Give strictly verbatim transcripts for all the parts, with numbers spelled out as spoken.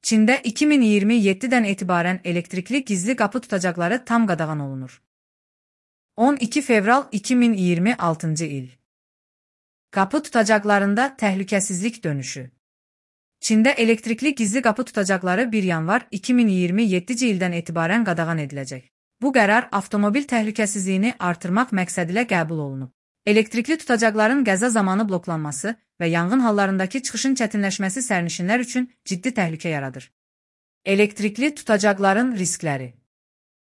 Çində iki min iyirmi yeddidən etibarən elektrikli gizli qapı tutacaqları tam qadağan olunur. on iki fevral iki min iyirmi altıncı il. Qapı tutacaqlarında təhlükəsizlik dönüşü. Çində elektrikli gizli qapı tutacaqları bir yanvar iki min iyirmi yeddinci ildən etibarən qadağan ediləcək. Bu qərar avtomobil təhlükəsizliyini artırmaq məqsədilə qəbul olunub. Elektrikli tutacaqların qəza zamanı bloklanması və yanğın hallarındakı çıxışın çətinləşməsi sərnişinlər üçün ciddi təhlükə yaradır. Elektrikli tutacaqların riskləri.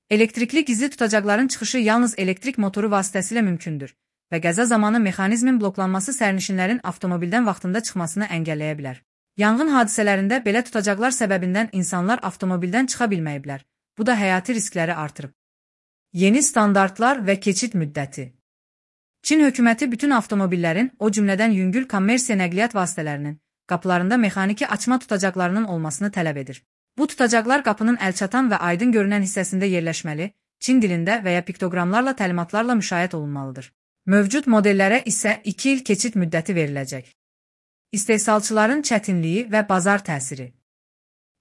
Elektrikli gizli tutacaqların çıxışı yalnız elektrik motoru vasitəsilə mümkündür və qəza zamanı mexanizmin bloklanması sərnişinlərin avtomobildən vaxtında çıxmasını əngəlləyə bilər. Yanğın hadisələrində belə tutacaqlar səbəbindən insanlar avtomobildən çıxa bilməyiblər. Bu da həyati riskləri artırıb. Yeni standartlar və keçid müddəti. Çin hökuməti bütün avtomobillərin, o cümlədən yüngül kommersiya nəqliyyat vasitələrinin, qapılarında mexaniki açma tutacaqlarının olmasını tələb edir. Bu tutacaqlar qapının əlçatan və aydın görünən hissəsində yerləşməli, Çin dilində və ya piktoqramlarla təlimatlarla müşayiət olunmalıdır. Mövcud modellərə isə iki il keçid müddəti veriləcək. İstehsalçıların çətinliyi və bazar təsiri.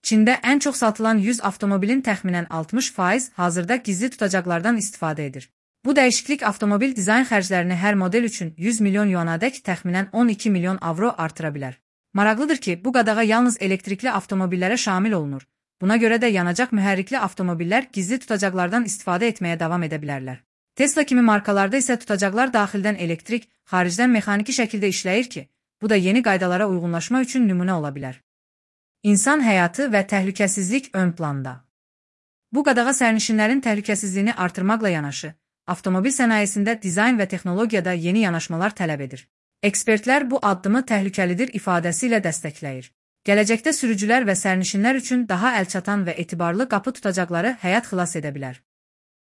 Çində ən çox satılan yüz avtomobilin təxminən altmış faiz hazırda gizli tutacaqlardan istifadə edir. Bu dəyişiklik avtomobil dizayn xərclərini hər model üçün yüz milyon yuanadək təxminən on iki milyon avro artıra bilər. Maraqlıdır ki, bu qadağa yalnız elektrikli avtomobillərə şamil olunur. Buna görə də yanacaq mühərrikli avtomobillər gizli tutacaqlardan istifadə etməyə davam edə bilərlər. Tesla kimi markalarda isə tutacaqlar daxildən elektrik, xaricdən mexaniki şəkildə işləyir ki, bu da yeni qaydalara uyğunlaşma üçün nümunə ola bilər. İnsan həyatı və təhlükəsizlik ön planda. Bu qadağa sərnişinlərin təhlükəsizliyini artırmaqla yanaşı, avtomobil sənayesində dizayn və texnologiyada yeni yanaşmalar tələb edir. Ekspertlər bu addımı təhlükəlidir ifadəsi ilə dəstəkləyir. Gələcəkdə sürücülər və sərnişinlər üçün daha əlçatan və etibarlı qapı tutacaqları həyat xilas edə bilər.